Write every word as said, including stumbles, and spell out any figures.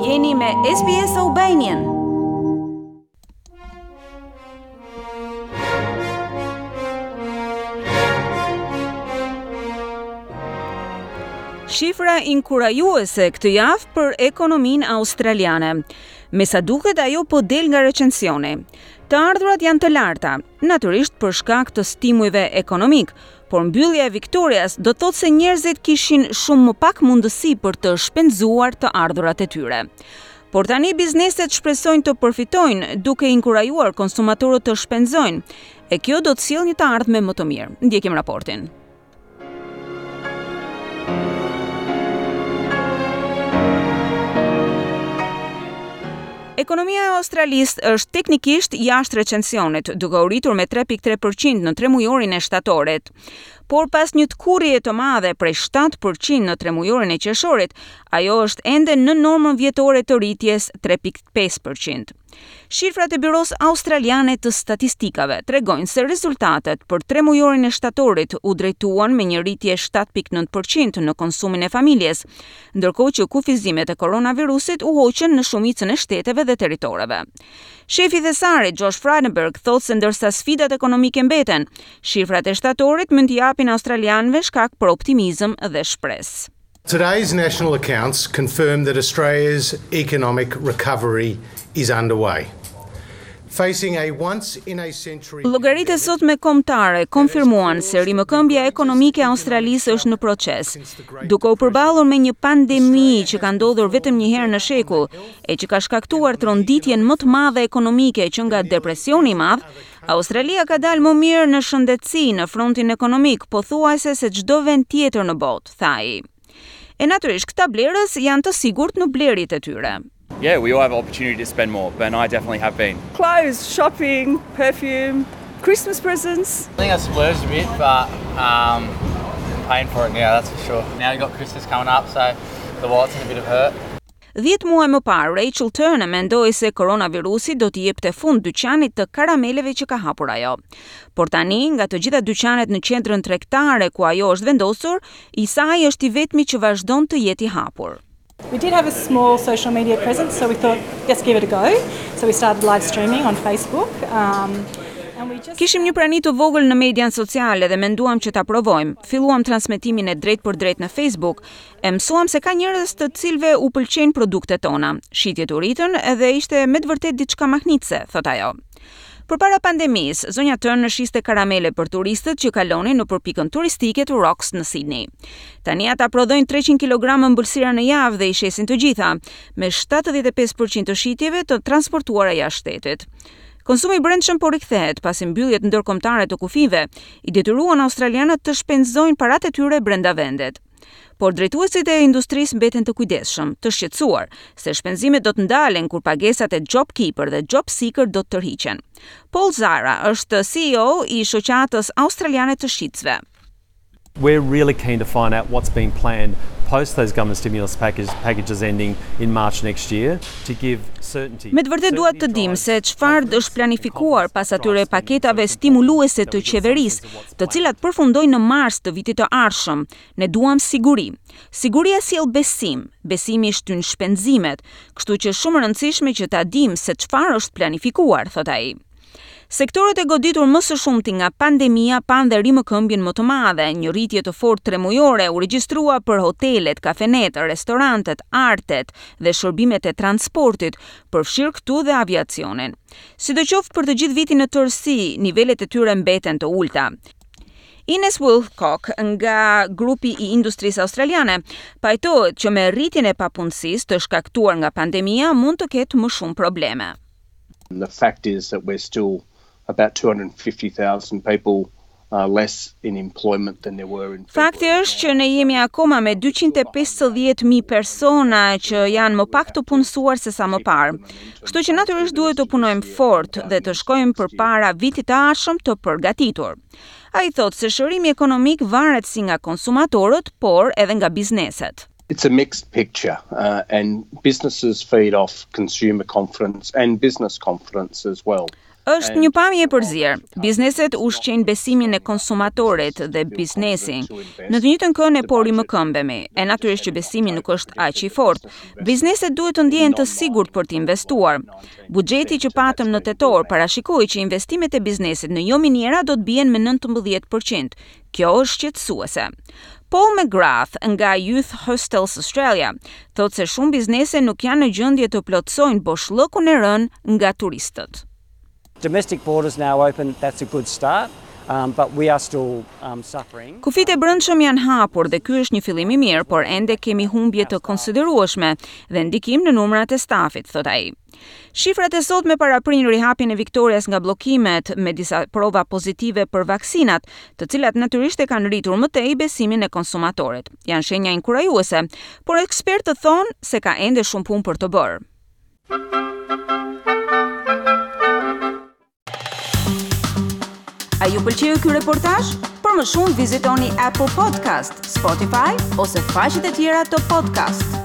Jeni me S B S Albanian. Shifra inkurajuese këtë javë për ekonominë australiane. Me sa duket, ajo po del nga recensioni. Të ardhurat janë të larta, natyrisht për shkak të stimujve ekonomik, por mbyllja e Victorias do të thotë se njerëzit kishin shumë më pak mundësi për të shpenzuar të ardhurat e tyre. Por tani bizneset shpresojnë të përfitojnë, duke inkurajuar konsumatorët të shpenzojnë, e kjo do të sjellë një të ardhme më të mirë. Ndjekim raportin. Ekonomia e Australisë është teknikisht jashtë recensionit, duke u rritur me tre pikë tre për qind në tremujorin e shtatorit. Por pas një tkurrje të madhe prej shtatë për qind në tremujorin e qershorit, ajo është ende në normën vjetore të rritjes tre pikë pesë për qind. Shifrat e Byros Australiane të Statistikave tregojnë se rezultatet për tremujorin e shtatorit u drejtuan me një rritje shtatë pikë nëntë për qind në konsumin e familjes, ndërkohë që kufizimet e koronavirusit u hoqën në shumicën e shteteve dhe territoreve. Shefi i thesarit Josh Frydenberg thotë se ndërsa sfidat ekonomike mbeten, shifrat e shtatorit mund t'i japin australianëve shkak për optimizëm dhe shpresë. Today's national accounts confirm that Australia's economic recovery is underway. Facing a once in a century Llogaritë e sotme kombëtare konfirmuan se rimëkëmbja ekonomike e Australisë është në proces, duke u përballur me një pandemi që ka ndodhur vetëm një herë në shekull e që ka shkaktuar tronditjen më të madhe ekonomike që nga depresioni i madh. Australia ka dalë më mirë në shëndetësi, në frontin ekonomik, pothuajse se çdo vend tjetër në botë, tha ai. E natyrisht, këta blerës janë të sigurt në blerjet e tyre. Yeah, we all have opportunity to spend more, but I definitely have been. Clothes, shopping, perfume, Christmas presents. I think I splurged a bit, but um, I'm paying for it now, that's for sure. Now we've got Christmas coming up, so the wallet's in a bit of hurt. Dhjetë muaj më parë, Rachel Turner mendoi se koronavirusi do t'i jepte fund dyqanit të karameleve që ka hapur ajo. Por tani, nga të gjitha dyqanet në qendrën tregtare ku ajo është vendosur, i saj është i vetmi që vazhdon të jetë i hapur. We did have a small social media presence, so we thought, "Let's give it a go." So we started live streaming on Facebook. Um, and we just Kishim një prani të vogël në median sociale dhe menduam që ta provojmë. Filluam transmetimin e drejt për drejt në Facebook, e mësuam se ka njerëz të cilëve u pëlqejnë produktet tona. Shitjet u rritën edhe ishte me të vërtet diçka mahnitëse, thot ajo. Përpara pandemisë, zonja Turner shiste karamele për turistët që kalonin në pikën turistike të Rocks në Sydney. Tani ata prodhojnë treqind kilogramë ëmbëlsira në javë dhe i shesin të gjitha, me shtatëdhjetë e pesë për qind të shitjeve të transportuara jashtë shtetit. Konsumi i brendshëm po rikthehet pasi mbylljet ndërkombëtare të kufijve i detyruan australianët të shpenzojnë paratë e tyre brenda vendit. Por drejtuesit e industrisë mbeten të kujdesshëm, të shqetësuar se shpenzimet do të ndalen kur pagesat e JobKeeper dhe JobSeeker do të tërhiqen. Paul Zahra është C E O i Shoqatës Australiane të Shitësve. We're really keen to find out what's being planned post those government stimulus package, packages ending in March next year to give certainty. Me të vërtet duhet të dim se çfarë është planifikuar pas atyre paketave stimuluese të qeverisë, të cilat përfundojnë në mars të vitit të ardhshëm. Ne duam siguri. Siguria sjell besim, besimi shtyn shpenzimet, kështu që shumë e rëndësishme që ta dim se çfarë është planifikuar, thot ai. Sektorët e goditur më së shumti nga pandemia panë dhe rimëkëmbjen më të madhe. Një rritje të fortë tremujore u regjistrua për hotelet, kafenet, restorantet, artet dhe shërbimet e transportit, përfshirë këtu dhe aviacionin. Sidoqoftë, për të gjithë vitin në tërësi, nivelet e tyre mbeten të ulta. Ines Wilcock nga grupi i industrisë australiane pajtohet që me rritjen e papunësisë të shkaktuar nga pandemia mund të ketë më shumë probleme. The fact is that we're still about two hundred fifty thousand people uh, less in employment than there were in Fakti është që ne jemi akoma me dyqind e pesëdhjetë mijë persona që janë më pak të punësuar se sa më parë. Kështu që natyrisht duhet të punojmë fort dhe të shkojmë përpara vitit të ardhshëm të përgatitur. Ai thotë se shërimi ekonomik varet si nga konsumatorët, por edhe nga bizneset. It's a mixed picture, uh, and businesses feed off consumer confidence and business confidence as well. Është një pamje e përzier. Bizneset ushqejnë besimin e konsumatorit dhe biznesin. Në të njëjtën kohë ne po rimëkëmbemi, e natyrisht që besimi nuk është aq i fortë. Bizneset duhet të ndjehen të sigurt për të investuar. Buxheti që patëm në tetor parashikoi që investimet e biznesit në jo miniera do të bien me nëntëmbëdhjetë për qind. Kjo është shqetësuese. Paul McGrath nga Youth Hostels Australia thotë se shumë biznese nuk janë në gjendje të plotësojnë boshllëkun e rënë nga turistët. Domestic borders now open, that's a good start. Um, but we are still um, suffering. Kufijtë e brendshëm janë hapur dhe ky është një fillim i mirë, por ende kemi humbje të konsiderueshme dhe ndikim në numrat e stafit, thot ai. Shifrat e sotme paraprin rihapjen e Victorias nga bllokimet me disa prova pozitive për vaksinat, të cilat natyrisht e kanë rritur më tej besimin e konsumatorit. Janë shenja inkurajuese, por ekspertët thonë se ka ende shumë punë për të bërë. A ju pëlqeu ky reportazh? Për më shumë vizitoni Apple Podcast, Spotify ose faqet e tjera të podcast.